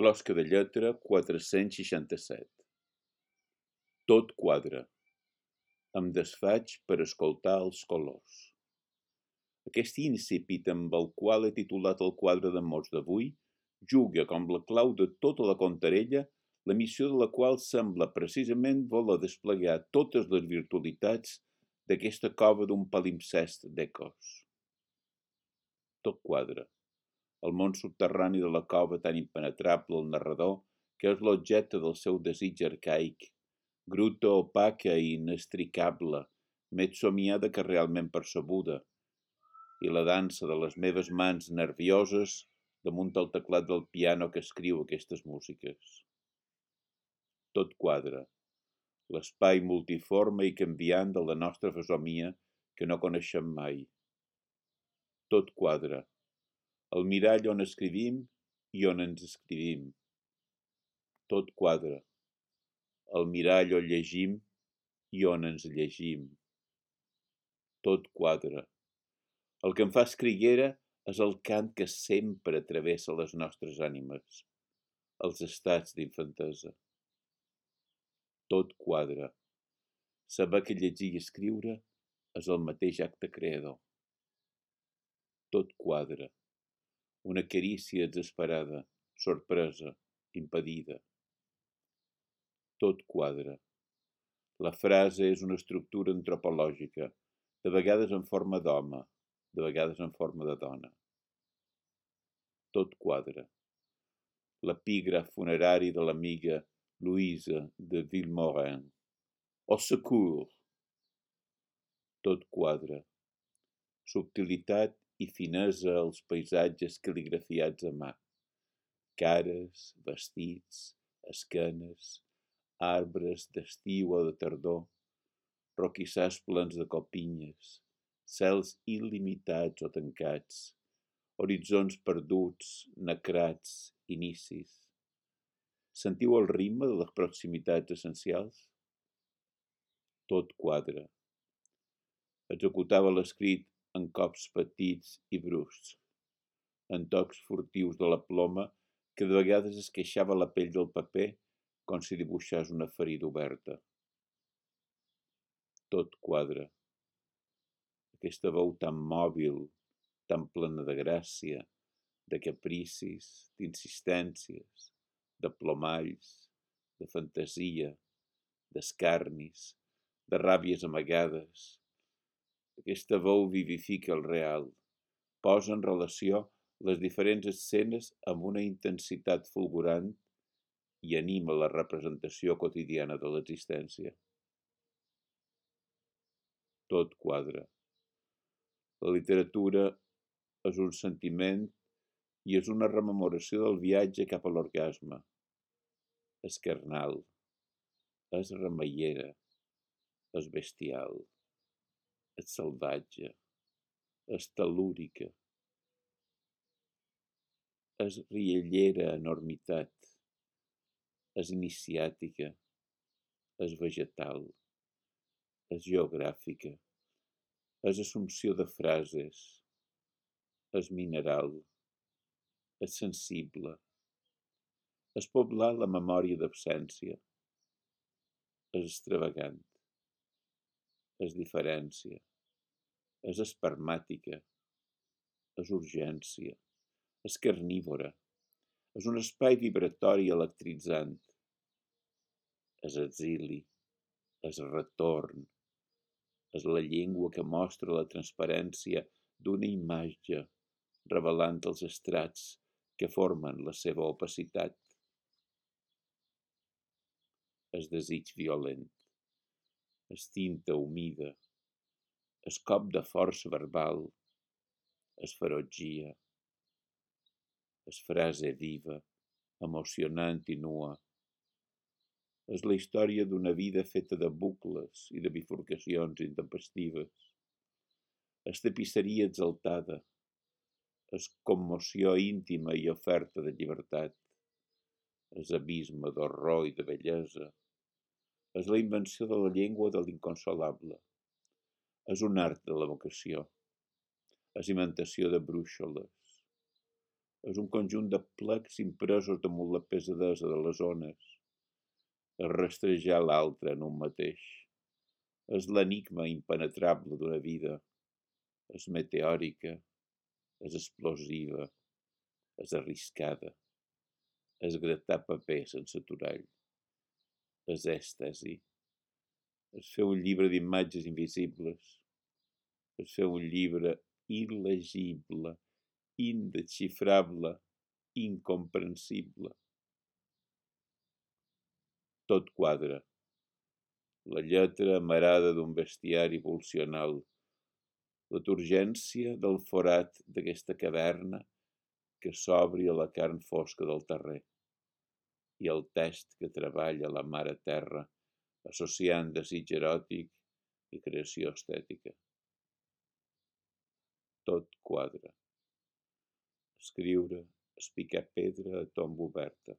Closca de lletra 467. Tot quadra. Em desfaig per escoltar els colors. Aquest incipit amb el qual he titulat el quadre de mots d'avui juga com la clau de tota la contarella, la missió de la qual sembla precisament voler desplegar totes les virtualitats d'aquesta cova d'un palimpsest d'ecos. Tot quadra. El món subterrani de la cova tan impenetrable al narrador que és l'objecte del seu desig arcaic, gruta opaca i inestricable, més somiada que realment percebuda, i la dansa de les meves mans nervioses damunt el teclat del piano que escriu aquestes músiques. Tot quadra. L'espai multiforme i canviant de la nostra fesomia que no coneixem mai. Tot quadra. El mirall on escrivim i on ens escrivim. Tot quadra. El mirall on llegim i on ens llegim. Tot quadra. El que em fa escriguera és el cant que sempre travessa les nostres ànimes, els estats d'infantesa. Tot quadra. Saber que llegir i escriure és el mateix acte creador. Tot quadra. Una carícia exasperada, sorpresa, impedida. Tot quadra. La frase és una estructura antropològica, de vegades en forma d'home, de vegades en forma de dona. Tot quadra. L'epígraf funerari de l'amiga Louise de Vilmorin. Au secours! Tot quadra. Subtilitat i finesa als paisatges cal·ligrafiats a mà. Cares, vestits, esquenes, arbres d'estiu o de tardor, roquissars plens de copinyes, cels il·limitats o tancats, horitzons perduts, nacrats, inicis. Sentiu el ritme de les proximitats essencials? Tot quadra. Executava l'escrit en cops petits i bruscs, en tocs furtius de la ploma que de vegades esqueixava la pell del paper com si dibuixés una ferida oberta. Tot quadra. Aquesta veu tan mòbil, tan plena de gràcia, de capricis, d'insistències, de plomalls, de fantasia, d'escarnis, de ràbies amagades. Aquesta veu vivifica el real, posa en relació les diferents escenes amb una intensitat fulgurant i anima la representació quotidiana de l'existència. Tot quadra. La literatura és un sentiment i és una rememoració del viatge cap a l'orgasme. És carnal, és remeiera, és bestial, és salvatge, és tel·lúrica, és riallera enormitat, és iniciàtica, és vegetal, és geogràfica, és assumpció de frases, és mineral, és sensible, és poblar la memòria d'absència, és extravagant, és diferència, és espermàtica, és urgència, és carnívora, és un espai vibratori electritzant, és exili, és retorn, és la llengua que mostra la transparència d'una imatge, revelant els estrats que formen la seva opacitat. És desig violent, és tinta humida, és cop de força verbal, és ferotgia, és frase viva, emocionant i nua. És la història d'una vida feta de bucles i de bifurcacions intempestives. És tapisseria exaltada, és commoció íntima i oferta de llibertat, és abisme d'horror i de bellesa, és la invenció de la llengua de l'inconsolable, és un art de l'evocació, és imitació de brúixoles, És un conjunt de plecs impresos damunt la pesadesa de les ones. És rastrejar l'altre en un mateix. És l'enigma impenetrable d'una vida. És meteòrica, és explosiva, és arriscada. És gratar paper sense aturall. És èxtasi. És fer un llibre d'imatges invisibles. És fer un llibre il·legible, indesxifrable, incomprensible. Tot quadra. La lletra amarada d'un bestiari pulsional. La turgència del forat d'aquesta caverna que s'obri a la carn fosca del terrer. I el test que treballa la mare terra, associant desig eròtic i creació estètica. Tot quadra. Escriure és picar pedra a tomba oberta.